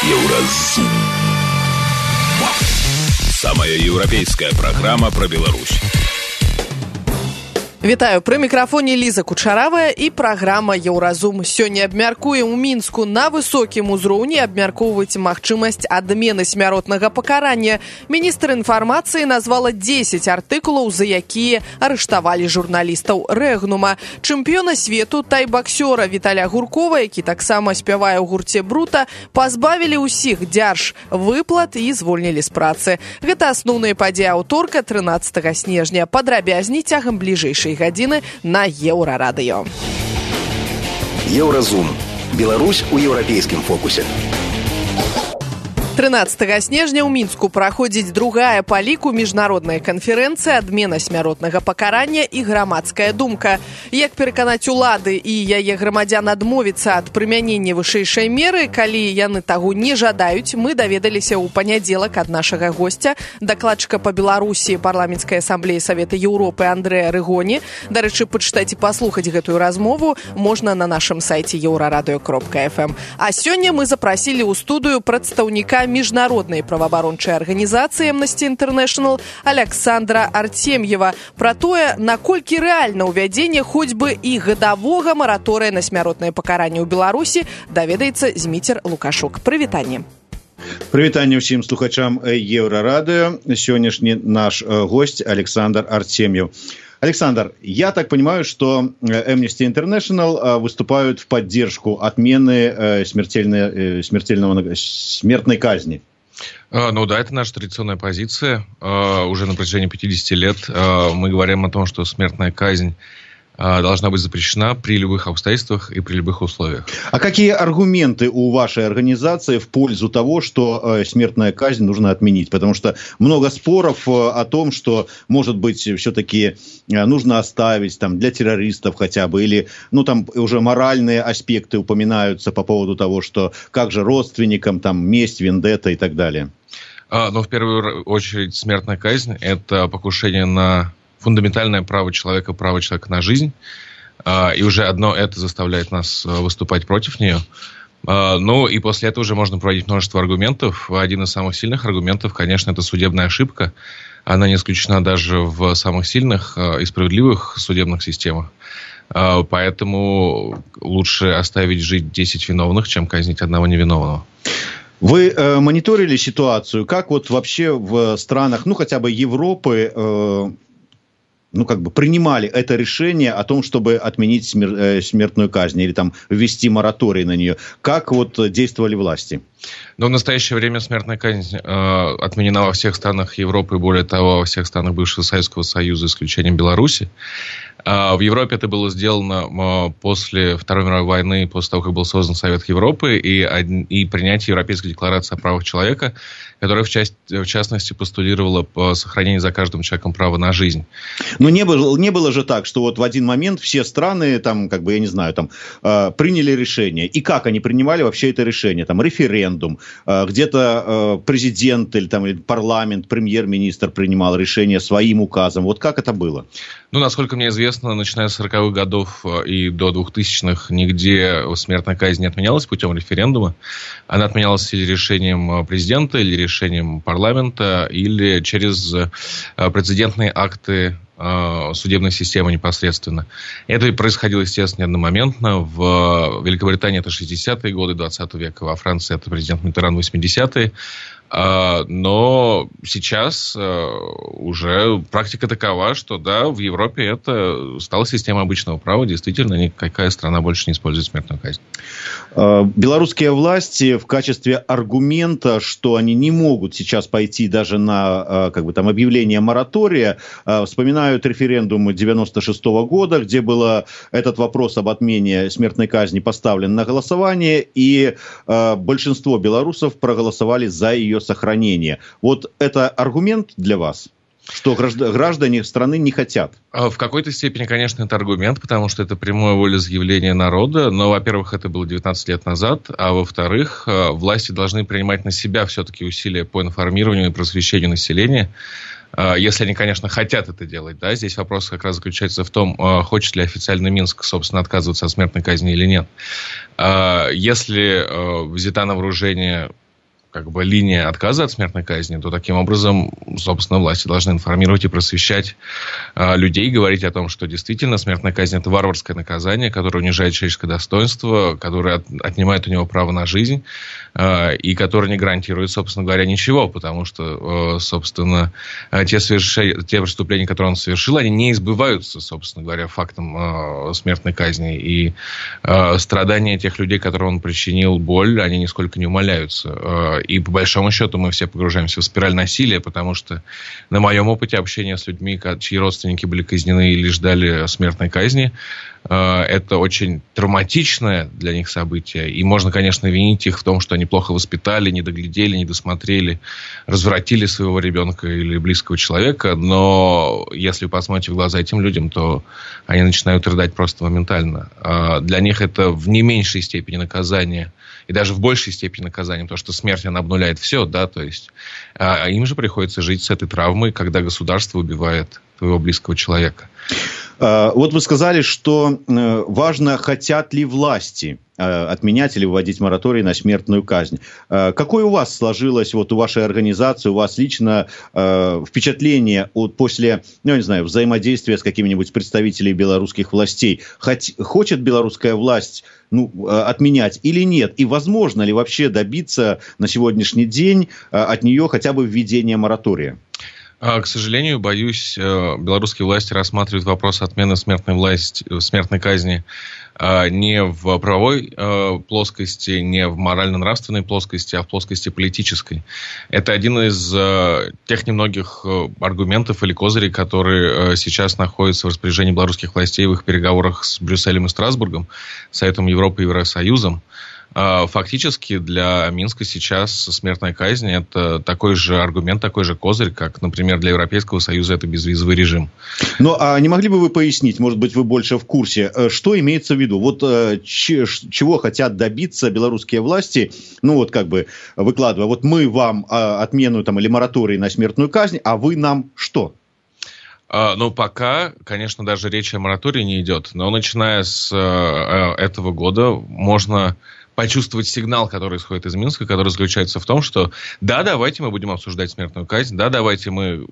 Еўразум. Самая еўрапейская программа про Беларусь. Вітаю, пры мікрафоне Ліза Кучаравая і праграма «Еўразум». Сёння абмяркуем у Мінску на высокім узроўні абмяркоўваць магчымасць адмены смяротнага пакарання. Міністр інфармацыі назвала 10 артыкулаў, за якія арыштавалі журналістаў Рэгнума. Чэмпіёна свету тай-баксёра Віталя Гуркова, які таксама спявае ў гурце «Брута», пазбавілі ўсіх дзяржвыплат і звольнілі з працы. Гэта асноўныя падзеі аўторка 13 снежня. Падрабязней цягам бліжэйшай гадзіны на Еўрарадыё. Еўразум. Беларусь у еўрапейскім фокусе. 13 снежня ў Мінску праходзіць другая па ліку міжнародная канферэнцыя «Адмена смяротнага пакарання і грамадская думка». Як пераканаць улады і яе грамадзян адмовіцца ад прымянення вышэйшай меры, калі яны таго не жадаюць, мы даведаліся ў панядзелак ад нашага госця, дакладчыка па Беларусі парламенцкай асамблеі Савета Еўропы Андрэя Рыгоні. Дарэчы, пачытаць і паслухаць гэтую размову можна на нашым сайце еўрарадыё.фм. А сёння мы запрасілі ў студыю прадстаўніка міжнароднай праваабарончай арганізацыі Amnesty International Александра Артемьева пра тое, наколькі рэальна ўвядзенне хоць бы і гадавога мараторыя на смяротнае пакаранне ў Беларусі, даведаецца Зміцер Лукашук. Прывітанне. Прывітанне ўсім слухачам Еўрарадыё. Сённяшні наш гость Александр Артемьев. Александр, я так понимаю, что Amnesty International выступают в поддержку отмены смертной казни. Ну да, это наша традиционная позиция. Уже на протяжении 50 лет мы говорим о том, что смертная казнь должна быть запрещена при любых обстоятельствах и при любых условиях. А какие аргументы у вашей организации в пользу того, что смертная казнь нужно отменить? Потому что много споров о том, что, может быть, все-таки нужно оставить там, для террористов хотя бы, или там уже моральные аспекты упоминаются по поводу того, что как же родственникам, там, месть, вендетта и так далее. Но в первую очередь смертная казнь – это покушение на фундаментальное право человека на жизнь, и уже одно это заставляет нас выступать против нее. Ну и после этого уже можно проводить множество аргументов. Один из самых сильных аргументов, конечно, это судебная ошибка. Она не исключена даже в самых сильных и справедливых судебных системах. Поэтому лучше оставить жить 10 виновных, чем казнить одного невиновного. Вы мониторили ситуацию? Как вот вообще в странах, хотя бы Европы, принимали это решение о том, чтобы отменить смертную казнь или там ввести мораторий на нее? Как действовали власти? В настоящее время смертная казнь отменена во всех странах Европы, более того, во всех странах бывшего Советского Союза, исключением Беларуси. В Европе это было сделано после Второй мировой войны, после того, как был создан Совет Европы и принятие Европейской декларации о правах человека, которая в частности постулировала сохранение за каждым человеком права на жизнь. Но не было же так, что в один момент все страны приняли решение. И как они принимали вообще это решение? Референдум, где-то президент или парламент, премьер-министр принимал решение своим указом. Как это было? Насколько мне известно, начиная с 40-х годов и до 2000-х нигде смертная казнь не отменялась путем референдума. Она отменялась или решением президента, или решением парламента, или через прецедентные акты судебной системы непосредственно. Это происходило, естественно, не одномоментно. В Великобритании это 60-е годы 20 века, во Франции это президент Миттеран 80-е. Но сейчас уже практика такова, что да, в Европе это стала система обычного права. Действительно, никакая страна больше не использует смертную казнь. Белорусские власти в качестве аргумента, что они не могут сейчас пойти даже на объявление моратория, вспоминают референдум 96-го года, где был этот вопрос об отмене смертной казни поставлен на голосование, и большинство белорусов проголосовали за ее сохранение. Это аргумент для вас? Что граждане страны не хотят? В какой-то степени, конечно, это аргумент, потому что это прямое волеизъявление народа. Но, во-первых, это было 19 лет назад. А во-вторых, власти должны принимать на себя все-таки усилия по информированию и просвещению населения. Если они, конечно, хотят это делать. Да? Здесь вопрос как раз заключается в том, хочет ли официально Минск, собственно, отказываться от смертной казни или нет. Если взята на вооружение линия отказа от смертной казни, то таким образом, собственно, власти должны информировать и просвещать людей, говорить о том, что действительно смертная казнь – это варварское наказание, которое унижает человеческое достоинство, которое отнимает у него право на жизнь и которое не гарантирует, собственно говоря, ничего, потому что, собственно, те преступления, которые он совершил, они не избываются, собственно говоря, фактом смертной казни, и страдания тех людей, которым он причинил боль, они нисколько не умаляются. И по большому счету мы все погружаемся в спираль насилия, потому что на моем опыте общения с людьми, чьи родственники были казнены или ждали смертной казни, это очень травматичное для них событие. И можно, конечно, винить их в том, что они плохо воспитали, не доглядели, не досмотрели, развратили своего ребенка или близкого человека. Но если вы посмотрите в глаза этим людям, то они начинают рыдать просто моментально. Для них это в не меньшей степени наказание, и даже в большей степени наказание, потому что смерть, она обнуляет все, да, то есть им же приходится жить с этой травмой, когда государство убивает твоего близкого человека. Вот вы сказали, что важно, хотят ли власти отменять или вводить мораторий на смертную казнь. Какое у вас сложилось, вот у вашей организации, у вас лично впечатление после, я не знаю, взаимодействия с какими-нибудь представителями белорусских властей? Хочет белорусская власть отменять или нет? И возможно ли вообще добиться на сегодняшний день от нее хотя бы введения моратория? К сожалению, боюсь, белорусские власти рассматривают вопрос отмены смертной казни не в правовой плоскости, не в морально-нравственной плоскости, а в плоскости политической. Это один из тех немногих аргументов или козырей, которые сейчас находятся в распоряжении белорусских властей в их переговорах с Брюсселем и Страсбургом, Советом Европы и Евросоюзом. Фактически для Минска сейчас смертная казнь – это такой же аргумент, такой же козырь, как, например, для Европейского Союза это безвизовый режим. Ну, а не могли бы вы пояснить, может быть, вы больше в курсе, что имеется в виду? Вот чего хотят добиться белорусские власти, выкладывая, вот мы вам отмену или мораторий на смертную казнь, а вы нам что? Пока, конечно, даже речи о моратории не идет, но начиная с этого года можно почувствовать сигнал, который исходит из Минска, который заключается в том, что да, давайте мы будем обсуждать смертную казнь, да, давайте мы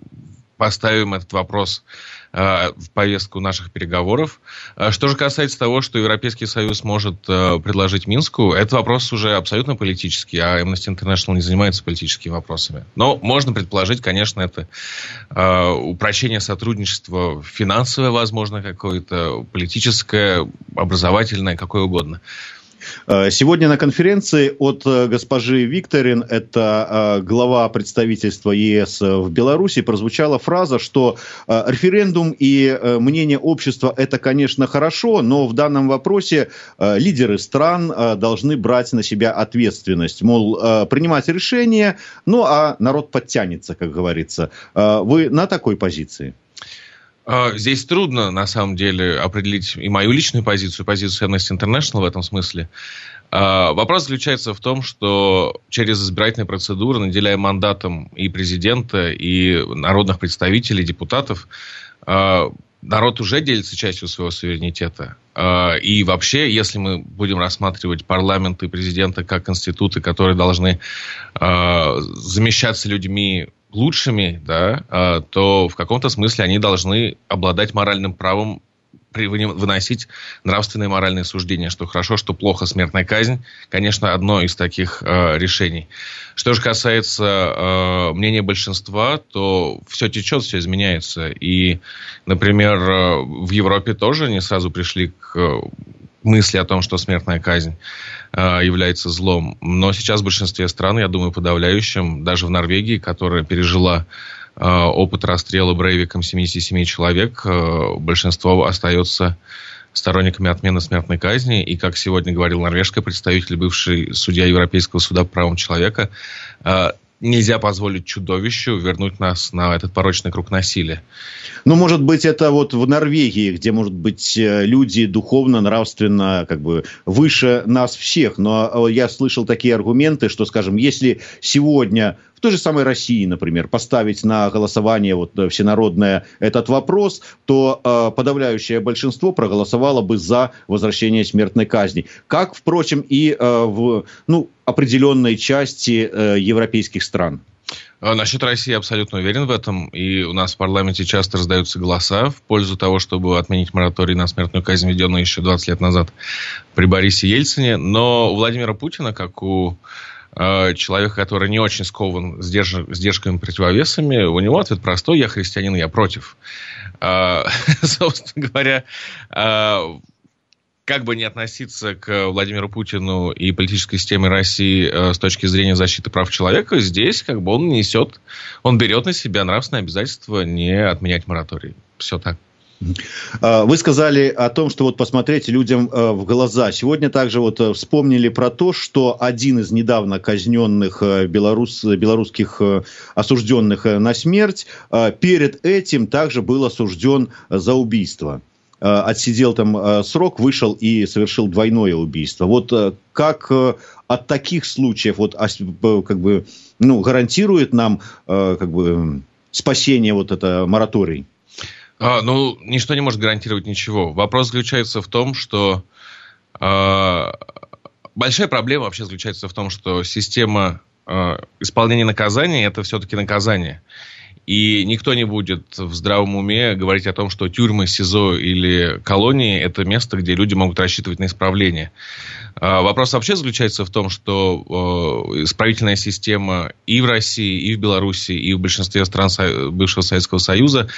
поставим этот вопрос в повестку наших переговоров. Что же касается того, что Европейский Союз может предложить Минску, это вопрос уже абсолютно политический, а Amnesty International не занимается политическими вопросами. Но можно предположить, конечно, это упрочение сотрудничества финансовое, возможно, какое-то политическое, образовательное, какое угодно. Сегодня на конференции от госпожи Викторин, это глава представительства ЕС в Беларуси, прозвучала фраза, что референдум и мнение общества – это, конечно, хорошо, но в данном вопросе лидеры стран должны брать на себя ответственность, мол, принимать решения, а народ подтянется, как говорится. Вы на такой позиции? Здесь трудно, на самом деле, определить и мою личную позицию Amnesty International в этом смысле. Вопрос заключается в том, что через избирательные процедуры, наделяя мандатом и президента, и народных представителей, депутатов, народ уже делится частью своего суверенитета. И вообще, если мы будем рассматривать парламент и президента как институты, которые должны замещаться людьми лучшими, да, то в каком-то смысле они должны обладать моральным правом выносить нравственные и моральные суждения, что хорошо, что плохо. Смертная казнь, конечно, одно из таких решений. Что же касается мнения большинства, то все течет, все изменяется. И, например, в Европе тоже не сразу пришли к мысли о том, что смертная казнь является злом. Но сейчас в большинстве стран, я думаю, подавляющем, даже в Норвегии, которая пережила опыт расстрела Брейвиком 77 человек, большинство остается сторонниками отмены смертной казни. И, как сегодня говорил норвежский представитель, бывший судья Европейского суда по правам человека, нельзя позволить чудовищу вернуть нас на этот порочный круг насилия. Может быть, это вот в Норвегии, где, может быть, люди духовно, нравственно, выше нас всех. Но я слышал такие аргументы, что, скажем, если сегодня в той же самой России, например, поставить на голосование всенародное этот вопрос, то подавляющее большинство проголосовало бы за возвращение смертной казни. Как, впрочем, и определенной части европейских стран? Насчет России я абсолютно уверен в этом. И у нас в парламенте часто раздаются голоса в пользу того, чтобы отменить мораторий на смертную казнь, введенный еще 20 лет назад при Борисе Ельцине. Но у Владимира Путина, как у человека, который не очень скован сдержками, противовесами, у него ответ простой: я христианин, я против. Собственно говоря, как бы ни относиться к Владимиру Путину и политической системе России с точки зрения защиты прав человека, здесь как бы он берет на себя нравственное обязательство не отменять мораторий. Все так. Вы сказали о том, что вот посмотреть людям в глаза. Сегодня также вот вспомнили про то, что один из недавно казненных белорусских осужденных на смерть перед этим также был осужден за убийство. Отсидел там срок, вышел и совершил двойное убийство. Вот как от таких случаев вот, как бы, гарантирует нам как бы, спасение вот это мораторий? Ничто не может гарантировать ничего. Вопрос заключается в том, что большая проблема вообще заключается в том, что система исполнения наказания – это все-таки наказание. И никто не будет в здравом уме говорить о том, что тюрьмы, СИЗО или колонии – это место, где люди могут рассчитывать на исправление. Вопрос вообще заключается в том, что исправительная система и в России, и в Беларуси, и в большинстве стран бывшего Советского Союза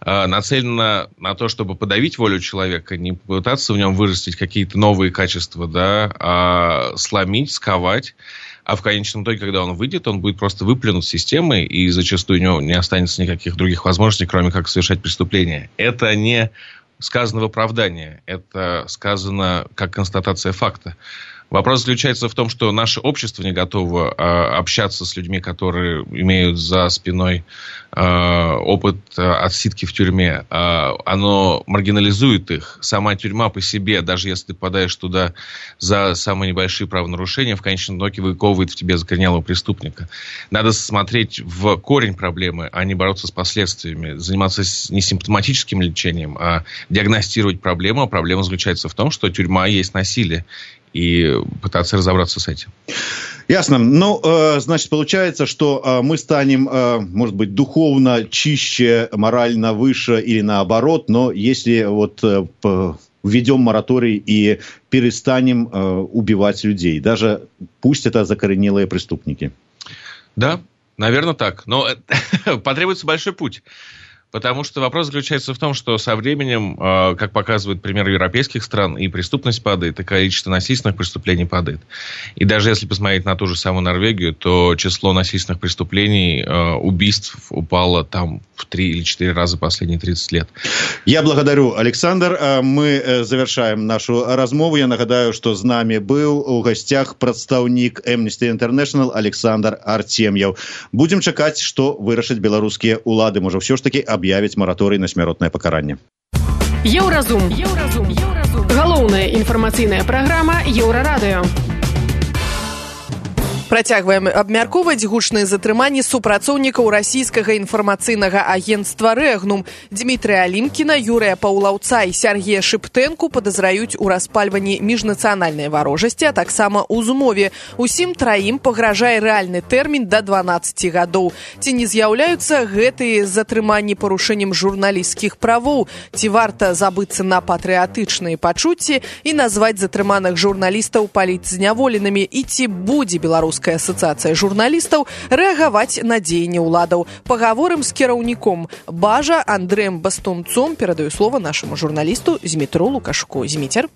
нацелена на то, чтобы подавить волю человека, не попытаться в нем вырастить какие-то новые качества, да, а сломить, сковать. А в конечном итоге, когда он выйдет, он будет просто выплюнут системой, и зачастую у него не останется никаких других возможностей, кроме как совершать преступления. Это не сказано в оправдании, это сказано как констатация факта. Вопрос заключается в том, что наше общество не готово общаться с людьми, которые имеют за спиной опыт отсидки в тюрьме. Оно маргинализует их. Сама тюрьма по себе, даже если ты попадаешь туда за самые небольшие правонарушения, в конечном итоге выковывает в тебе закоренелого преступника. Надо смотреть в корень проблемы, а не бороться с последствиями. Заниматься не симптоматическим лечением, а диагностировать проблему. А проблема заключается в том, что тюрьма есть насилие. И пытаться разобраться с этим. Ясно. Значит, получается, что мы станем, может быть, духовно чище, морально выше или наоборот, но если вот введем мораторий и перестанем убивать людей, даже пусть это закоренелые преступники. Да, наверное, так. Но потребуется большой путь. Потому что вопрос заключается в том, что со временем, как показывают примеры европейских стран, и преступность падает, и количество насильственных преступлений падает. И даже если посмотреть на ту же самую Норвегию, то число насильственных преступлений, убийств упало там в 3 или 4 раза последние 30 лет. Я благодарю, Александр. Мы завершаем нашу размову. Я нагадаю, что з нами был у гостях представник Amnesty International Александр Артемьев. Будем чакаць, што вырашаць беларускія улады. Можа, ўсё ж таки аб'явіць мараторый на смяротнае пакаранне. Еўразум. Галоўная інфармацыйная праграма Еўрарадыё. Працягваем абмяркоўваць гучныя затрыманні супрацоўнікаў расійскага інфармацыйнага агенцтва «Рэгнум». Дмітрыя Алімкіна, Юрыя Паўлаўца і Сергея Шыптэнку падазраюць у распальванні міжнацыянальнай варожасці, а таксама ў змове. Усім траім пагражае рэальны тэрмін да 12 гадоў. Ці не з'яўляюцца гэтыя затрыманні парушэннем журналісцкіх правоў? Ці варта забыцца на патрыятычныя пачуцці і назваць затрыманых журналістаў палітзняволенымі? І ці будзе беларуская асацыяцыя журналістаў рэагаваць на дзеянні ўладаў? Пагаворым з кіраўніком Бажа Андрэем Бастунцом. Перадаю слова нашаму журналісту Змітру Лукашку. Зміцер.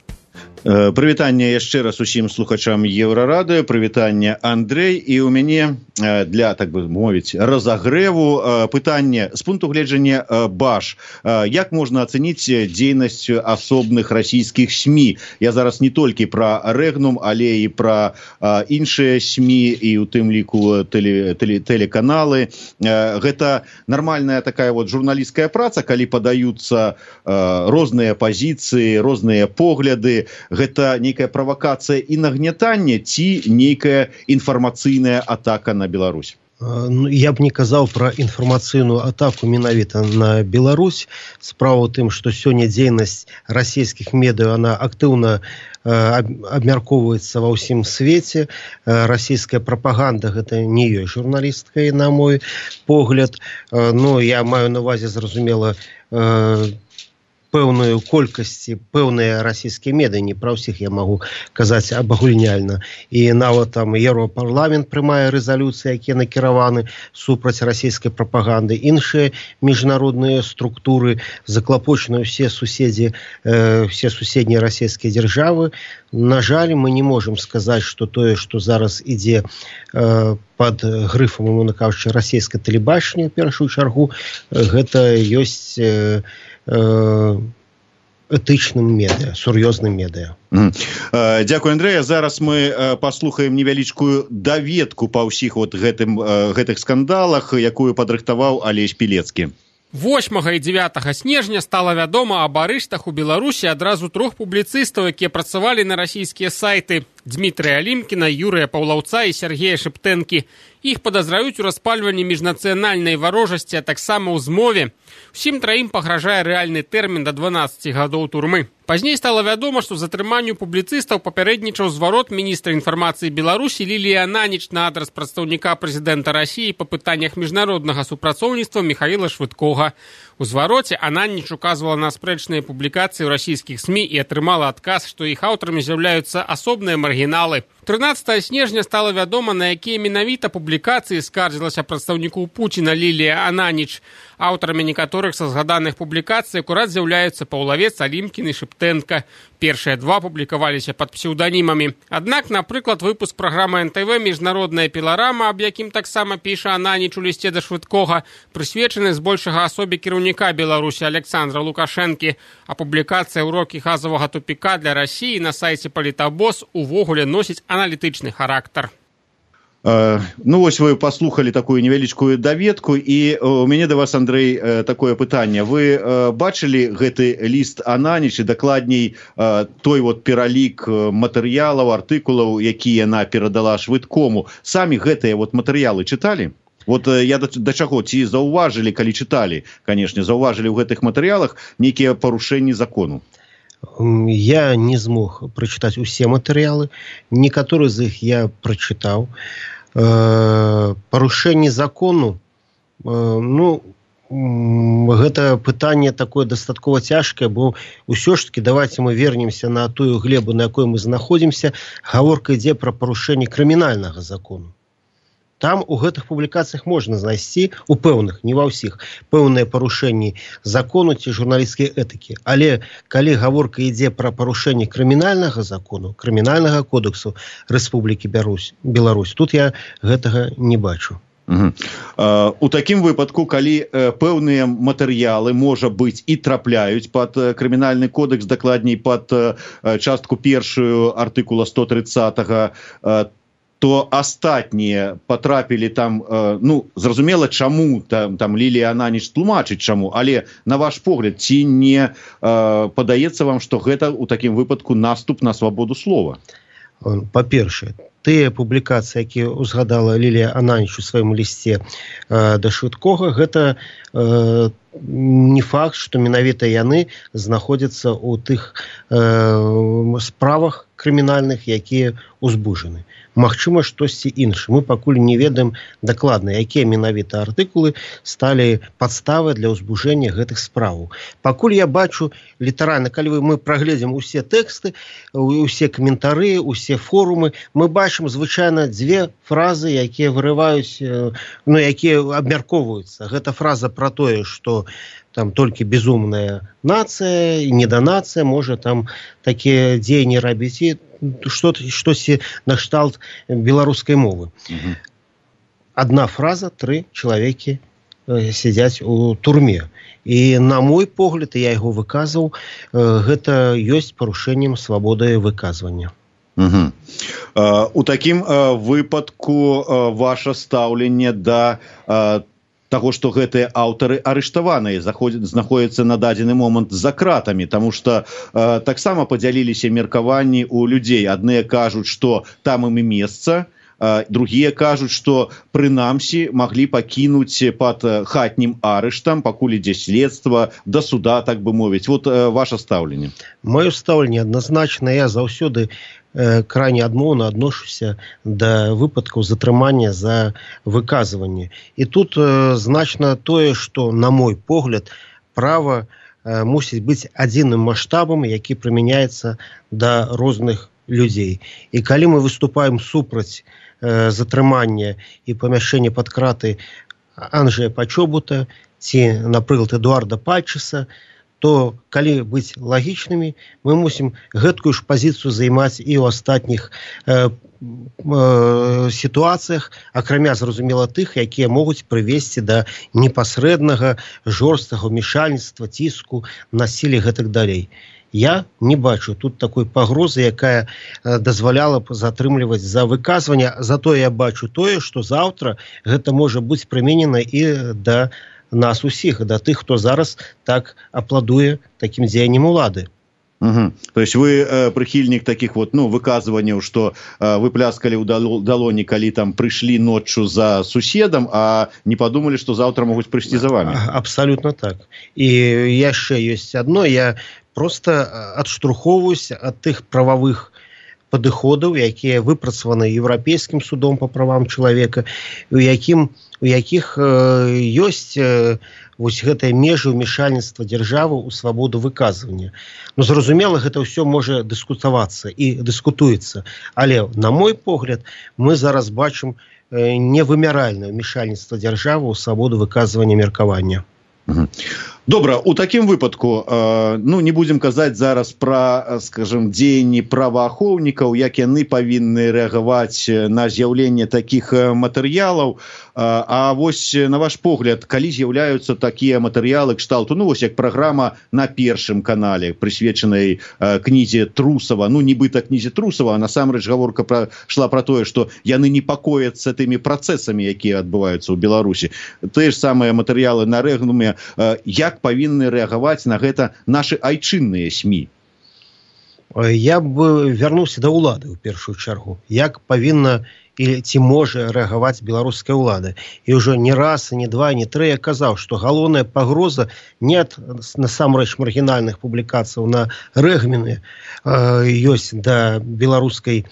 Прывітанне яшчэ раз усім слухачам Еўрарадыё. Прывітанне, Андрэй. І ў мяне для, так бы мовіць, разагрэву пытанне з пункту гледжання Баж. Як можна ацэніць дзейнасць асобных расійскіх СМІ? Я зараз не толькі пра Рэгнум, але і пра іншыя СМІ, і ў тым ліку тэлеканалы. Гэта нармальная такая вот журналісцкая праца, калі падаюцца розныя пазіцыі, розныя погляды. Гэта нейкая правакацыя і нагнятанне ці нейкая інфармацыйная атака на Беларусь? Я б не казаў пра інфармацыйную атаку менавіта на Беларусь. Справа ў тым, што сёння дзейнасць расійскіх медыа, она актыўна абмяркоўваецца ва ўсім свеце. Расійская прапаганда гэта не ёсць журналісткай, на мой погляд. Но я маю на увазе, зразумела, пэўную колькасці, пэўныя расійскія медыа, не пра ўсіх я магу казаць абагульняльна. І нават там Еўропарламент прымае рэзалюцыі, якія накіраваны супраць расійскай прапаганды. Іншыя міжнародныя структуры заклапочаны ўсе суседзі, все суседнія расійскія дзяржавы. На жаль, мы не можам сказаць, што тое, што зараз ідзе пад грыфам, умоўна кажучы, расійскае тэлебачанне, ў першую чаргу, гэта ёсць этычным медыа, сур'ёзным медыа. Дзякуй, Андрэя. Зараз мы паслухаем невялічкую даведку па ўсіх гэтых скандалах, якую падрыхтаваў Алесь Пілецкі. 8 і 9 снежня стала вядома аб арыштах у Беларусі адразу 3 публіцыстаў, якія працавалі на расійскія сайты: Дмітрыя Алімкіна, Юрыя Паўлаўца і Сергея Шэптэнкі. Іх падазраюць у распальванні міжнацыянальнай варожасці, а таксама ў змове. Усім траім пагражае рэальны тэрмін да 12 гадоў турмы. Пазней стала вядома, што затрыманню публіцыстаў папярэднічаў зварот міністра інфармацыі Беларусі Ліліі Ананіч на адрас прадстаўніка прэзідэнта Расіі па пытаннях міжнароднага супрацоўніцтва Міхаіла Швыдкога. У звароце Ананіч указвала на спрэчныя публікацыі ў расійскіх СМІ і атрымала адказ, што іх аўтарамі з'яўляюцца асобныя маргіналы. 13 снежня стала вядома, на якія менавіта публікацыі скардзілася прадстаўніку Пуціна Лілія Ананіч. Аўтарамі некаторых са згаданых публікацый акурат з'яўляюцца Паўлавец, Алімкін і Шэптэнка. Першыя два публікаваліся пад псеўданімамі. Аднак, напрыклад, выпуск праграмы НТВ «Міжнародная піларама», аб якім таксама піша Ананіч у лісце да Швыдкога, прысвечаны збольшага асобе кіраўніка Беларусі Александра Лукашэнкі, а публікацыя «Урокі газавага тупіка для Расіі» на сайце «Палітабос» увогуле носіць аналітычны характар. Ну, вось вы паслухалі такую невялічкую даведку, і у мяне да вас, Андрэй, такое пытанне. Вы бачылі гэты ліст Ананіч, і дакладней той вот пералік матэрыялаў, артыкулаў, якія яна перадала Швыдкому? Самі гэтыя вот матэрыялы чыталі? Вот я да чаго, ці заўважылі, калі чыталі, канешне, заўважылі ў гэтых матэрыялах нейкія парушэнні закону? Я не змог прачытаць усе матэрыялы, некаторыя з іх я прачытаў. Парушэнне закону, ну, гэта пытанне такое дастаткова цяжкае, бо ўсё ж таки давайте мы вернемся на тую глебу, на якой мы знаходзімся. Гаворка ідзе пра парушэнне крымінальнага закону. Там у гэтых публікацыях можна знайсці, у пэўных, не ва ўсіх, пэўныя парушэнні закону ці журналісцкай этыкі. Але калі гаворка ідзе пра парушэнне крымінальнага закону, крымінальнага кодексу Рэспублікі Беларусь, тут я гэтага не бачу. У такім выпадку, калі пэўныя матэрыялы, можа быць, і трапляюць пад крымінальны кодекс, дакладней пад частку першую артыкула 130-го, то астатнія потрапілі там, ну, зразумела, чаму, там Лілія Ананіч тлумачыць чаму, але, на ваш погляд, ці не падаецца вам, што гэта ў такім выпадку наступ на свабоду слова? Па-першае, тыя публікацыі, якія узгадала Лілія Ананіч у сваім лісце да Швыдкога, гэта не факт, што менавіта яны знаходзяцца ў тых справах крымінальных, якія узбужаны. Магчыма, штосьці інше. Мы пакуль не ведаем дакладна, якія менавіта артыкулы сталі падставай для ўзбужэння гэтых справаў. Пакуль я бачу літаральна, калі мы прагледзім усе тэксты, усе каментары, усе форумы, мы бачым звычайна дзве фразы, якія вырываюць, ну, якія абмяркоўваюцца. Гэта фраза пра тое, што там толькі безумная нацыя, неданацыя можа там такія дзеянні рабіць, і штосьці накшталт беларускай мовы. Адна фраза, 3 чалавекі сядзяць у турме. І на мой погляд, я яго выказваў, гэта ёсць парушэннем свабоды выказвання. У такім выпадку ваше стаўленне да таго, што гэтыя аўтары арыштаваныя, знаходзяцца на дадзены момант за кратамі, таму што таксама падзяліліся меркаванні ў людзей. Адныя кажуць, што там ім і месца, другія кажуць, што прынамсі маглі пакінуць пад хатнім арыштам, пакуль ідзе следства, да суда, так бы мовіць. Вот ваше стаўленне. Маё стаўленне адназначна, я заўсёды крайне адмоўна адношуся да выпадкаў затрымання за выказванне. І тут значна тое, што, на мой погляд, права мусіць быць адзіным маштабам, які прымяняецца да розных людзей. І калі мы выступаем супраць затрымання і памяшчэння пад краты Анджэя Пачобута ці, напрыклад, Эдуарда Пальчыса, то, калі быць лагічнымі, мы мусім гэткую ж пазіцыю займаць і ў астатніх сітуацыях, акрамя, зразумела, тых, якія могуць прывесці да непасрэднага, жорсткага ўмешальніцтва, ціску, насілля і гэтак далей. Я не бачу тут такой пагрозы, якая дазваляла б затрымліваць за выказванне, затое я бачу тое, што заўтра гэта можа быць прыменена і да нас усіх, да тых, хто зараз так апладуе такім дзеяннем улады. Угу. То есть вы прыхільнік таких вот, выказванняў, што вы пляскалі ў далоні, калі там прыйшлі ноччу за суседам, а не падумалі, што заўтра могуць прыйсці за вами. Абсолютно так. І яшчэ ёсць адно, я просто адштурхоўваюся ад тых прававых падыходаў, якія выпрацаваны Еўрапейскім судом па правам чалавека, у якіх ёсць вось гэтыя межы ўмешальніцтва дзяржавы ў свабоду выказвання. Зразумела, гэта ўсё можа дыскутавацца і дыскутуецца, але, на мой погляд, мы зараз бачым невымяральнае ўмешальніцтва дзяржавы ў свабоду выказвання меркавання. Добра, у такім выпадку, не будзем казаць зараз пра, скажем, дзеянні праваахоўнікаў, як яны павінны рэагаваць на з'яўленне такіх матэрыялаў, а вось, на ваш погляд, калі з'яўляюцца такія матэрыялы кшталту, вось як праграма на Першым канале, прысвечанай кнізе Трусава, нібыта кнізе Трусава, а насамрэч гаворка шла пра тое, што яны непакояцца тымі працэсамі, якія адбываюцца ў Беларусі. Тыя ж самыя матэрыялы на Рэгнуме, як павінны рэагаваць на гэта нашы айчынныя СМІ? Я б вярнуўся да ўлады ў першую чаргу. Як павінна ці можа рэагаваць беларуская ўлада. І ўжо не раз, не два, не тры я казаў, што галоўная пагроза не ад насамрэч маргінальных публікацыяў на Рэгнуме ёсць да беларускай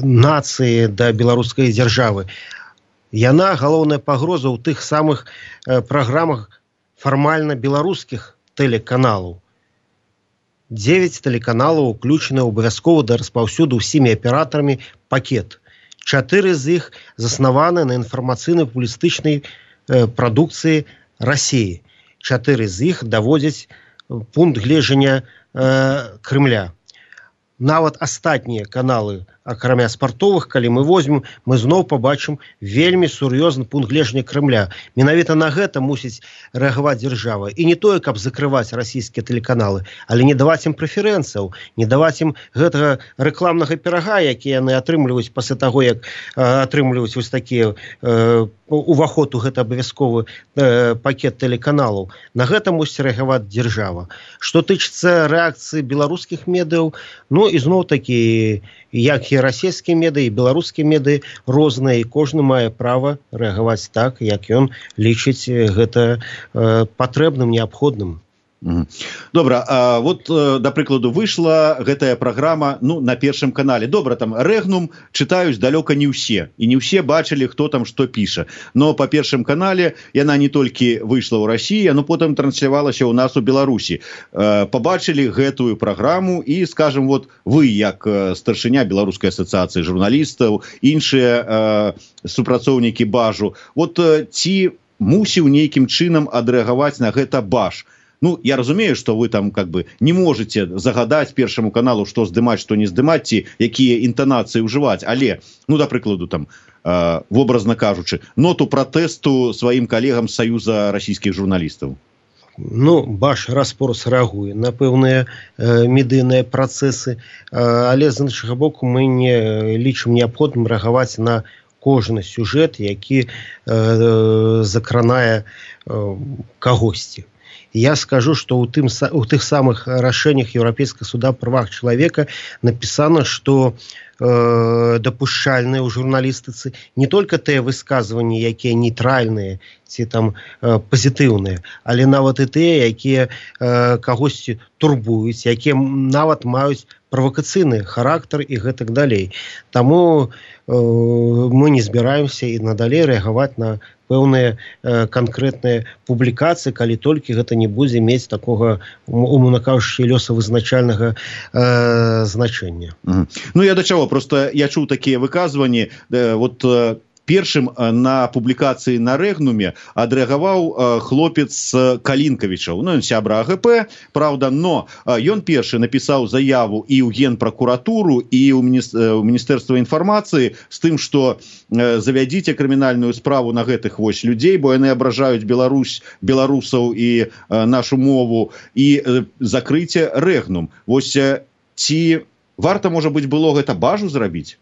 нацыі, да беларускай дзяржавы. Яна, галоўная пагроза, ў тых самых праграмах фармальна беларускіх тэлеканалаў. 9 тэлеканалаў уключаны абавязкова да распаўсюду ўсімі аператарамі пакет. 4 з іх заснаваны на інфармацыйна-публістычнай прадукцыі Расіі. 4 з іх даводзяць пункт гледжання Крымля. Нават астатнія каналы, акрамя спартовых, калі мы возьмем, мы зноў пабачым вельмі сур'ёзны пункт гледжання Крымля. Менавіта на гэта мусіць рэагаваць дзяржава. І не тое, каб закрываць расійскія тэлеканалы, але не даваць ім прэферэнцыяў, не даваць ім гэтага рэкламнага пірага, які яны атрымліваюць пасля таго, як атрымліваюць вось такія уваход у гэта абавязковы пакет тэлеканалаў. На гэта мусіць рэагаваць дзяржава. Што тычыцца рэакцыі беларускіх медыяў, ізноў такі, як і расійскія медыі, і беларускія медыі розныя, і кожны мае права рэагаваць так, як ён лічыць гэта патрэбным, неабходным. Добра, вот, да прыкладу, выйшла гэтая праграма на Першым канале. Добра, там Рэгнум чытаюць далёка не ўсе, і не ўсе бачылі, хто там што піша. Но па Першым канале яна не толькі выйшла ў Расіі, но потым транслявалася ў нас у Беларусі. Пабачылі гэтую праграму і, скажем, вот вы, як старшыня Беларускай асацыяцыі журналістаў, іншыя супрацоўнікі Бажу, вот ці мусіў нейкім чынам адрэагаваць на гэта Баж? Я разумею, што вы там не можете загадаць Першаму каналу, што здымаць, што не здымаць, ці якія інтанацыі ўжываць, але, да прыкладу, там, вобразна кажучы, ноту пратэсту сваім калегам з Саюза расійскіх журналістаў. Баш раз-пораз рэагуе на пэўныя медыйныя працэсы, але з іншага боку мы не лічым неабходным рэагаваць на кожны сюжэт, які закранае кагосьці. Я скажу, что у тых самых рашэннях Еўрапейскага суда па правах чалавека напісана, што дапушчальныя ў журналістыцы не толькі тыя высказванні, якія нейтральныя ці там пазітыўныя, але нават і тыя, якія кагосьці турбуюць, якія нават маюць правакацыйны характар і гэтак далей. Таму мы не збіраемся і надалей рэагаваць на пэўныя канкрэтныя публікацыі, калі толькі гэта не будзе мець такога, умоўна кажучы, лёсавызначальнага значэння. Ну, я да чаго, просто я чуў такія выказванні, вот першым на публікацыі на Рэгнуме адрэагаваў хлопец Калінкавічаў. Ну, ён сябра АГП, правда, но ён першы напісаў заяву і ў Генпракуратуру, і ў Міністэрства інфармацыі з тым, што завядзіце крымінальную справу на гэтых вось людзей, бо яны абражаюць беларусаў і нашу мову, і закрыце Рэгнум. Вось ці варта, можа быць, было гэта бажу зрабіць?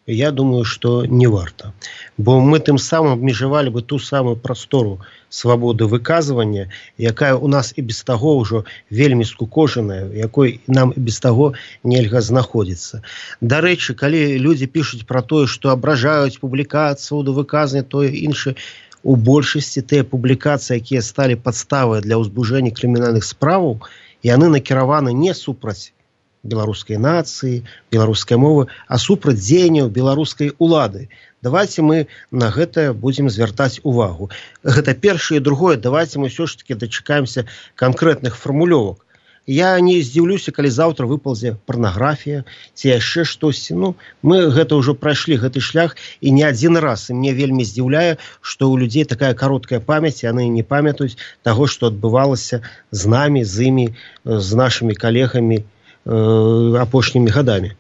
Я думаю, что не варта. Бо мы тым самым абмежавалі бы ту самую прастору свабоды выказвання, якая у нас і без таго ўжо вельмі скукожаная, якой нам і без таго нельга знаходзіцца. Дарэчы, калі людзі пішуць пра тое, што абражаюць публікацыю свабоду выказвання, тое іншае, у большасці тыя публікацыі, якія сталі падставай для ўзбуджэння крымінальных справаў, яны накіраваны не супраць беларускай нацыі, беларускай мовы, а супраць дзеянняў беларускай улады. Давайте мы на гэта будзем звяртаць увагу. Гэта першае, і другое, давайте мы ўсё ж таки дачакаемся канкрэтных фармулёвак. Я не здзіўлюся, калі заўтра выпалзе парнаграфія ці яшчэ штосьці. Ну, мы гэта ўжо прайшлі гэты шлях і не адзін раз. І мне вельмі здзіўляе, што ў людзей такая кароткая памяць, яны не памятаюць таго, што адбывалася з намі, з імі, з нашымі калегамі апошнімі гадамі.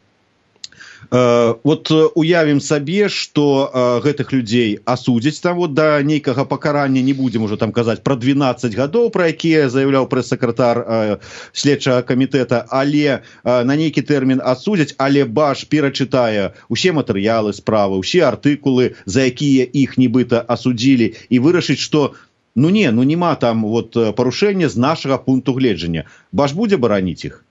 Вот уявім сабе, што гэтых людзей асудзяць там вот да нейкага пакарання, не будзем уже там казаць пра 12 гадоў, пра якія заяўляў прэс-сакратар следчага камітэта, але на нейкі тэрмін асудзяць, але Баш перачытае усе матэрыялы справы, усе артыкулы, за якія іх нібыта асудзілі, і вырашыць, што нема там вот парушэння з нашага пункту гледжання. Баш будзе бараніць іх?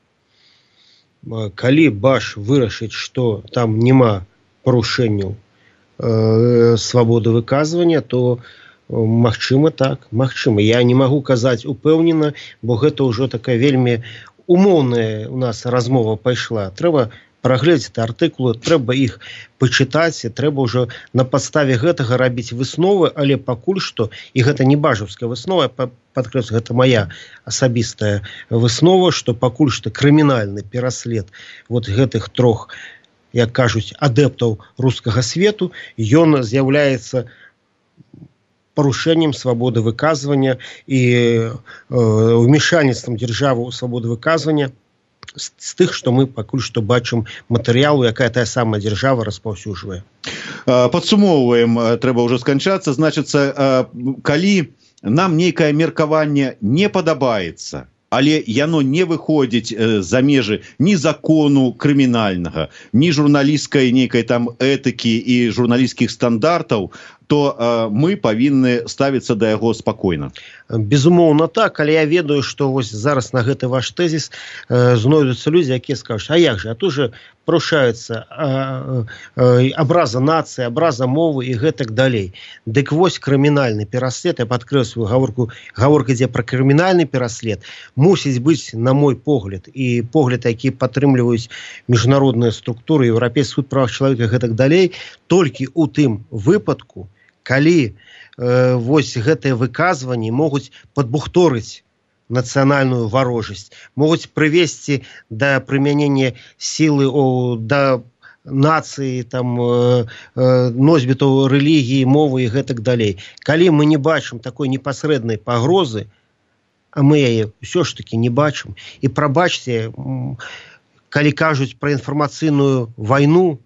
Калі Баш вырашыць, што там няма парушэнняў свабоды выказвання, то магчыма так, магчыма. Я не магу казаць упэўнена, бо гэта ўжо такая вельмі умоўная у нас размова пайшла. Трэба прагледзець артыкулы, трэба іх пачытаць, трэба ўжо на падставе гэтага рабіць высновы, але пакуль што, і гэта не бажаўская выснова, падкрэслю, гэта моя асабістая выснова, што пакуль што крымінальны пераслед вот гэтых трох, як кажуць, адэптаў рускага свету, ён з'яўляецца парушэннем свабоды выказвання і ўмешальніцтвам дзяржавы ў свабоду выказвання з тых, што мы пакуль што бачым матэрыялу, якая тая самая дзяржава распаўсюджвае. Падсумоўваем, трэба ўжо сканчацца. Значыцца, калі нам нейкае меркаванне не падабаецца, але яно не выходзіць за межы ні закону крымінальнага, ні журналісцкай нейкай там этыкі і журналісцкіх стандартаў, то мы павінны ставіцца да яго спакойна. Безумоўна так, але я ведаю, што вось зараз на гэты ваш тэзіс знойдуцца людзі, якія скажуць, а як же, а тут же парушаюцца абраза нацыі, абраза мовы і гэтак далей. Дык вось крымінальны пераслед, я падкрэсліваю гаворка ідзе пра крымінальны пераслед, мусіць быць, на мой погляд, і погляд, які падтрымліваюць міжнародныя структуры, Еўрапейскі суд правах чалавека і гэтак далей, толькі ў тым выпадку, калі вось гэтыя выказванні могуць падбухторыць нацыянальную варожасць, могуць прывесці да прымянення сілы да нацыі, там, носьбітаў рэлігіі, мовы і гэтак далей. Калі мы не бачым такой непасрэднай пагрозы, а мы яе ўсё ж такі не бачым, і прабачце, калі кажуць пра інфармацыйную вайну,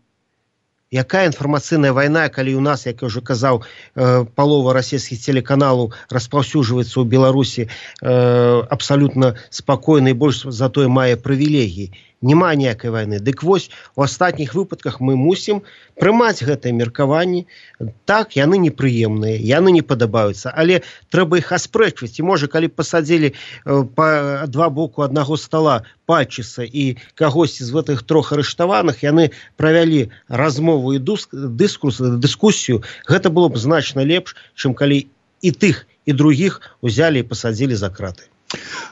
якая інфармацыйная вайна, калі у нас, як я ўжо казаў, палова расійскіх телеканалаў распаўсюджваецца ў Беларусі абсалютна спакойна і больш затое мае прывілегіі. няма ніякай вайны. Дык вось, у астатніх выпадках мы мусім прымаць гэтыя меркаванні. Так, яны непрыемныя, яны не падабаюцца, але трэба іх аспрэчваць. І можа, калі пасадзілі па два боку аднаго стола Пальчыса і кагосьці з гэтых трох арыштаваных, яны правялі размову і дыскусію, гэта было б значна лепш, чым калі і тых, і другіх узялі і пасадзілі за краты.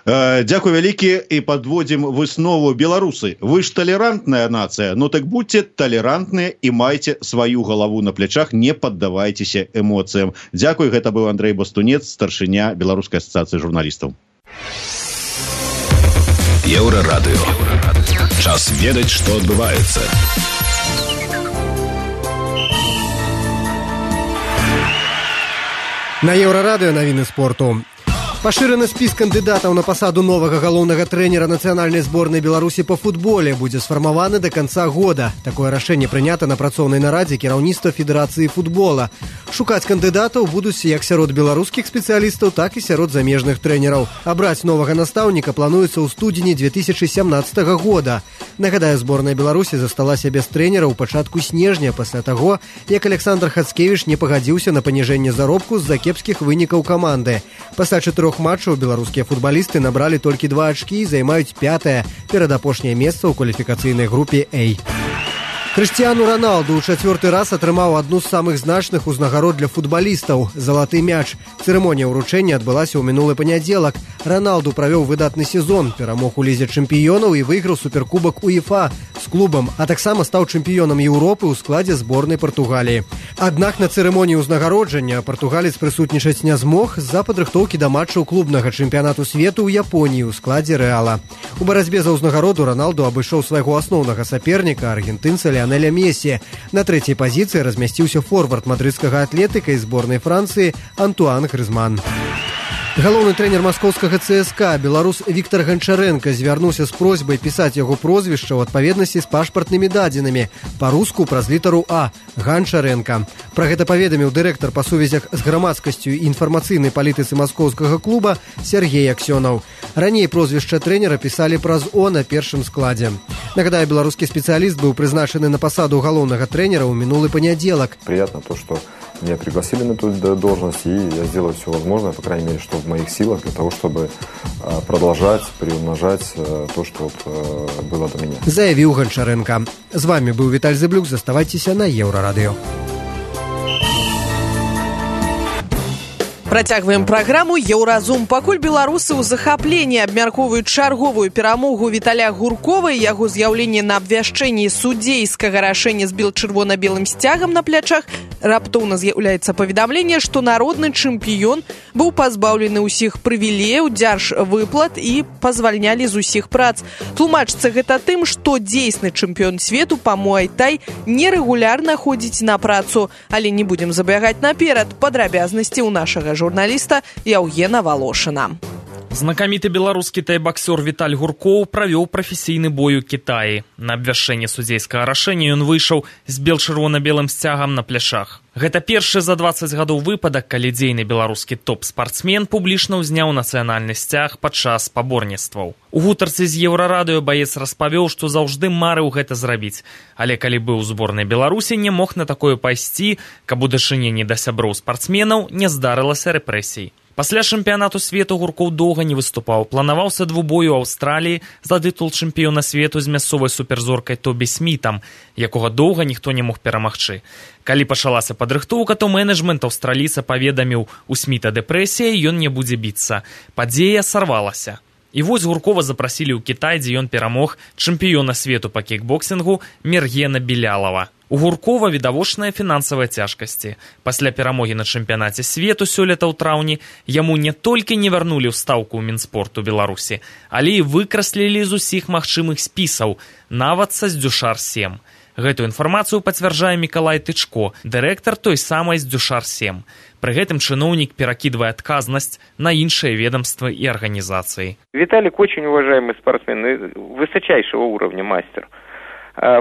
Дякую вялікі, і подводзім выснову. Беларусы, вы ж талерантная нацыя, ну так будьце талерантныя і майце сваю галаву на плячах, не паддавайцеся эмоцыям. Дзякуй, гэта быў Андрэй Бастунец, старшыня Беларускай асацыяцыі журналістаў. Еўрарадыё. Час ведаць, што адбываецца. На Еўрарадыё навіны спорту. Пашыраны спіс кандыдатаў на пасаду новага галоўнага трэнера нацыянальнай зборнай Беларусі па футболе будзе сфармаваны да канца года. Такое рашэнне прынята на працоўнай нарадзе кіраўніцтва Федэрацыі футбола. Шукаць кандыдатаў будуць як сярод беларускіх спецыялістаў, так і сярод замежных трэнераў. Абраць новага настаўніка плануецца ў студзені 2017 года. Нагадаю, зборная Беларусі засталася без трэнера ў пачатку снежня пасля таго, як Александр Хацкевіч не пагадзіўся на паніжэнне заробку з-за кепскіх вынікаў каманды. Пасля 4 матчаў беларускія футбалісты набралі толькі 2 ачкі і займаюць 5-е, перадапошняе месца ў кваліфікацыйнай групе А. Крыштиану Роналду ў 4-й раз атрымаў адну з самых значных узнагарод для футбалістаў – залаты мяч. Цырымонія ўручэння адбылася ў мінулы панядзелак. Роналду правёў выдатны сезон, перамог у лізе чэмпіёнаў і выйграў суперкубак УЕФА з клубам, а таксама стаў чэмпіёнам Еўропы ў складзе зборнай Партугаліі. Аднак на цырымоніі ўзнагароджання партугалец прысутнічаць не змог з-за падрыхтоўкі да матчаў клубнага чэмпіянату свету ў Японіі ў складзе Рэала. У барацьбе за ўзнагароду Роналду абышоў свайго асноўнага саперніка, аргентынца Ліанеля Месі. На 3-й пазіцыі размясціўся форвард мадрыдскага атлетыка і зборнай Францыі Антуан Грызман. Галоўны трэнер маскоўскага ЦСКА, беларус Віктар Ганчарэнка, звярнуўся з просьбай пісаць яго прозвішча ў адпаведнасці з пашпартнымі дадзенымі, па-руску праз літару А – Ганчарэнка. Пра гэта паведаміў дырэктар па сувязях з грамадскасцю і інфармацыйнай палітыцы маскоўскага клуба Сергей Аксёнаў. Раней прозвішча трэнера пісалі праз О на першым складзе. Нагадаю, беларускі спецыяліст быў прызначаны на пасаду галоўнага трэнера ў минулый понедельник. Приятно то, что меня пригласили на эту должность, и я сделаю все возможное, по крайней мере, что в моих силах, для того, чтобы продолжать, приумножать то, что было до меня. Заявил Гончаренко. С вами был Виталий Зыблюк. Заставайтесь на Еврорадио. Працягваем праграму «Еўразум». Пакуль беларусы ў захапленні абмяркоўваюць чарговую перамогу Віталя Гуркова і яго з'яўленне на абвяшчэнні судзейскага рашэння з чырвона-белым сцягам на плячах, раптоўна з'яўляецца паведамленне, што народны чэмпіён быў пазбаўлены ўсіх прывілеяў, дзяржвыплат і пазвальнялі з усіх прац. Тлумачыцца гэта тым, што дзейсны чэмпіён свету па муай-тай нерэгулярна ходзіць на працу. Але не будзем забягаць наперад. Падрабязнасці ў нашага журналіста Яўгена Волошина. Знакаміты беларускі тайбаксёр Віталь Гуркоў правёў прафесійны бой у Кітаі. На абвяшчэнне судзейскага рашэння ён выйшаў з чырвона-белым сцягам на пляшах. Гэта першы за 20 гадоў выпадак, калі дзейны беларускі топ-спартсмен публічна ўзняў нацыянальны сцяг падчас спаборніцтваў. У гутарцы з Еўрарадыё баец распавёў, што заўжды марыў гэта зрабіць. Але калі быў у зборнай Беларусі, не мог на такое пайсці, каб у дачыненні да сяброў спартсменаў не здарылася рэпрэсій. Пасля чэмпіянату свету Гуркоў доўга не выступаў. Планаваўся двубой у Аўстраліі за тытул чэмпіёна свету з мясцовай суперзоркай Тобі Смітам, якога доўга ніхто не мог перамагчы. Калі пачалася падрыхтоўка, то менеджмент аўстралійца паведаміў, у Сміта дэпрэсія, ён не будзе біцца. Падзея сарвалася. І вось Гуркова запрасілі ў Кітай, дзе ён перамог чэмпіёна свету па кікбоксінгу Мергена Белялова. У Гуркова відавочныя фінансавыя цяжкасці. Пасля перамогі на чэмпіянаце свету сёлета ў траўні яму не толькі не вярнулі ўстаўку ў Мінспорту Беларусі, але і выкраслілі з усіх магчымых спісаў, нават са Здюшар-7. Гэтую інфармацыю пацвярджае Мікалай Тычко, дырэктар той самай Здюшар-7. Пры гэтым чыноўнік перакідвае адказнасць на іншыя ведомства и организации. Виталик очень уважаемый спортсмен, высочайшего уровня мастер.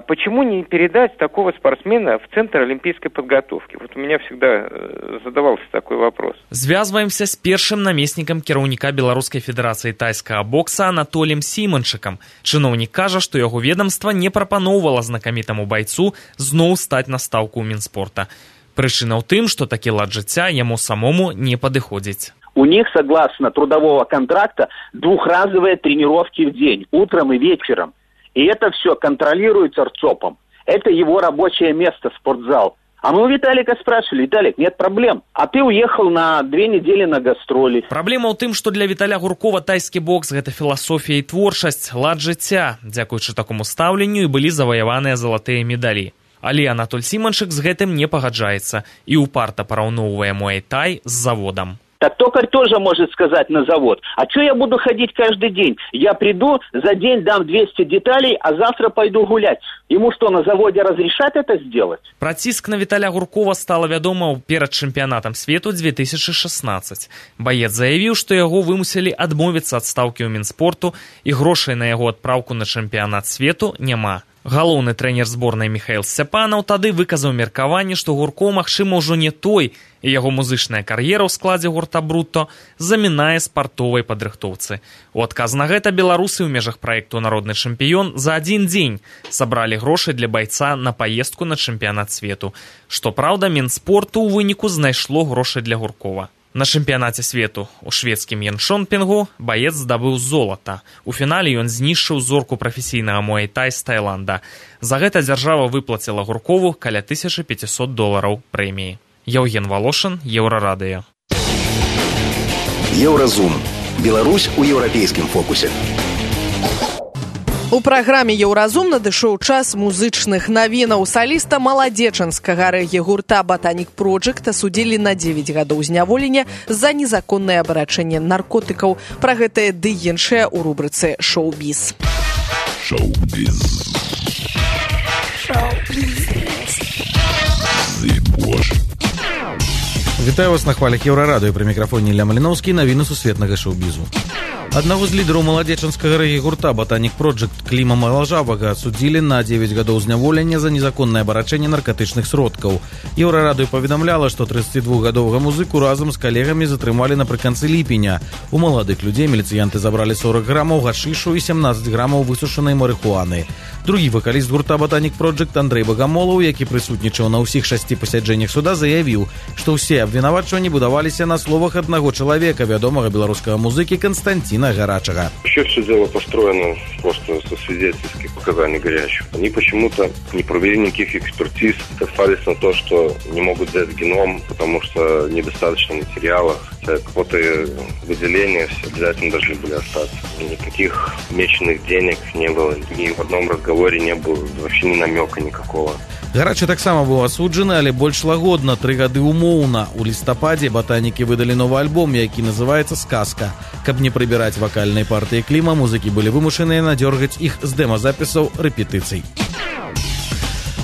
Почему не передать такого спортсмена в Центр олимпийской подготовки? Вот у меня всегда задавался такой вопрос. Звязваемся с першым намеснікам кіраўніка Беларускай федэрацыі тайскага бокса Анатоліем Сіманчыкам. Чыноўнік кажа, што яго ведомства не прапаноўвала знакамітаму байцу зноў стаць на стаўку ў Мінспорта. Прычына ў тым, што такі лад жыцця яму самому не падыходзіць. У них, согласно трудового контракта, двухразовые тренировки в день, утром и вечером. И это все контролируется РЦОПом. Это его рабочее место, спортзал. А мы у Виталика спрашивали: Виталик, нет проблем. А ты уехал на 2 недели на гастроли. Праблема ў тым, што для Віталя Гуркова тайскі бокс – гэта філасофія і творчасць, лад жыцця. Дзякуючы такому стаўленню і былі заваяваныя залатыя медалі. Але Анатоль Сіманчык з гэтым не пагаджаецца і упарта параўноўвае муай-тай з заводам. Так токарь тоже может сказать на завод: а что я буду ходить каждый день? Я приду, за день дам 200 деталей, а завтра пойду гулять. Ему что, на заводе разрешат это сделать? Пра ціск на Віталя Гуркова стала вядома перад чэмпіянатам свету 2016. Баец заявіў, што яго вымусілі адмовіцца ад стаўкі ў Мінспорту і грошай на яго адпраўку на чэмпіянат свету няма. Галоўны трэнер зборнай Міхаіл Сцяпанаў тады выказаў меркаванне, што Гуркоў, магчыма, ўжо не той, і яго музычная кар'ера ў складзе гурта «Брутто» замінае спартовай падрыхтоўцы. У адказ на гэта беларусы ў межах праекту «Народны чэмпіён» за адзін дзень сабралі грошы для байца на паездку на чэмпіянат свету. Што праўда, Мінспорту ў выніку знайшло грошы для Гуркова. На чэмпіянаце свету ў шведскім Яншонпінгу баец здабыў золата. У фінале ён знішчыў зорку прафесійнага муай-тай з Таіланда. За гэта дзяржава выплаціла Гуркову каля $1500 прэміі. Яўген Волошин, Еўрарадыё. Еўразум. Беларусь у еўрапейскім фокусе. У праграме «Еўразум» надышоў час музычных навінаў. Саліста маладзечанскага рэгі-гурта «Ботаник Проджект» асудзілі на 9 гадоў зняволення за незаконнае абарачэнне наркотыкаў. Пра гэтае ды іншае ў рубрыцы «Шоу-біз». Шоу-біз. Вітаю вас на хвалях Еўрарадыё. Пры мікрафоне Ілля Маліноўскі. Навіны сусветнага шоу-бізу. Аднаго з лідараў маладзечанскага рэгі-гурта «Ботаник Проджект» Кліма Малажавага адсудзілі на 9 гадоў зняволення за незаконнае абарачэнне наркатычных сродкаў. Еўрарадыё паведамляла, што 32-гадовага музыку разам з калегамі затрымалі напрыканцы ліпеня. У маладых людзей міліцыянты забралі 40 грамаў гашышу і 17 грамаў высушанай марыхуаны. Другі вакаліст гурта «Ботаник Проджект» Андрэй Багамолаў, які прысутнічаў на ўсіх 6 пасяджэннях суда, заявіў, што ўсе абвінавачванні будаваліся на словах аднаго чалавека, вядомага беларускага музыкі Константина Горачего. Еще все дело построено просто со свидетельских показаний Горячего. Они почему-то не провели никаких экспертиз, сослались на то, что не могут взять геном, потому что недостаточно материалов. Хотя какое-то выделение все обязательно должны были остаться. Никаких меченых денег не было, ни в одном разговоре не было вообще ни намека никакого. Гарачы таксама быў асуджаны, але больш лагодна, 3 гады умоўна. У лістападзе ботанікі выдалі новы альбом, які называецца «Сказка». Каб не прыбіраць вакальнай партыі Кліма, музыкі былі вымушаныя надзёргаць іх з дэмазапісаў рэпетыцый.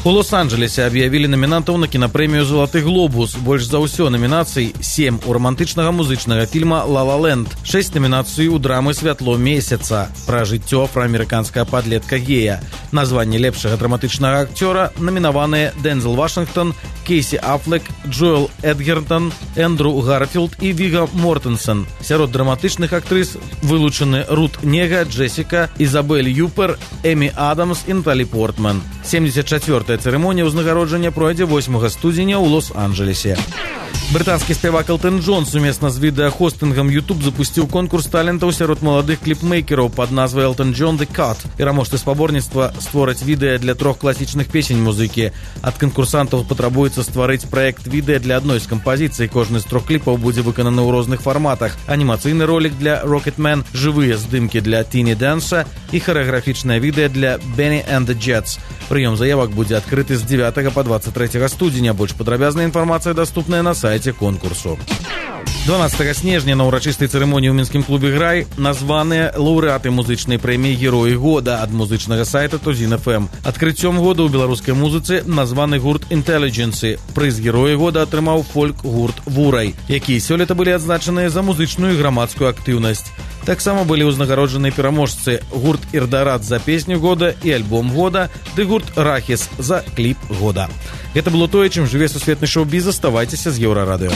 У Лос-Анджелесе аб'явілі намінантаў на кінапрэмію «Залаты глобус». Больш за ўсё намінацый 7 у рамантычнага музычнага фільма «Ла Ла Ленд», 6 намінацый у драмы «Святло месяца» пра жыццё афраамерыканскага падлетка гея. На званне лепшага драматычнага акцёра намінаваныя Дензел Вашингтон, Кейсі Афлек, Джоэл Эдгертон, Эндрю Гарфілд і Віга Мортенсен. Сярод драматычных актрыс вылучаны Рут Нега, Джессика, Изабель Юпер, Эмі Адамс і Наталі Портман. 74-я цырымонія ўзнагароджання пройдзе 8 студзеня ў Лос-Анджелесе. Брытанскі спявак Элтон Джон сумесна з відэахостынгам YouTube запусціў конкурс талентаў сярод маладых кліпмейкераў пад назвай Elton John The Cut. Пераможцы спаборніцтва створаць відэа для 3 класічных песень музыкі. Ад канкурсантаў патрабуецца стварыць праект відэа для адной з кампазіцый. Кожны з 3 кліпаў будзе выкананы ў розных фарматах. Анімацыйны ролик для Rocketman, жывыя здымкі для Tiny Dance'a і харэаграфічнае відэа для Benny and the Jets. Прыём заявак будзе адкрыты з 9 па 23 студзеня. Больш падрабязная інфармацыя даступная на сайце конкурсу. 12 снежня на ўрачыстай цырымоніі ў мінскім клубе «Грай» названыя лаўрэаты музычнай прэміі «Героі года» ад музычнага сайта Тузін FM. Адкрыццём года ў беларускай музыцы названы гурт «Intelligence». Прыз «Героі года» атрымаў фольк-гурт «Вурай», якія сёлета былі адзначаныя за музычную і грамадскую актыўнасць. Таксама былі ўзнагароджаныя пераможцы гурт «Ірдарат» за песню года і альбом года, ды гурт «Рахіс» за кліп года. Гэта было тое, чым жыве сусветны шоу-біз. Аставайцеся з Еўрарадыё.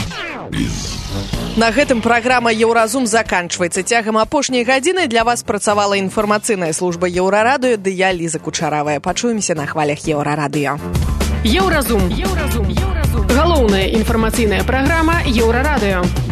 На гэтым праграма «Еўразум» заканчваецца. Цягам апошняй гадзіны для вас працавала інфармацыйная служба Еўрарадыё, ды я, Ліза Кучаравая. Пачуемся на хвалях Еўрарадыё. Еўразум. Галоўная інфармацыйная праграма Еўрарадыё.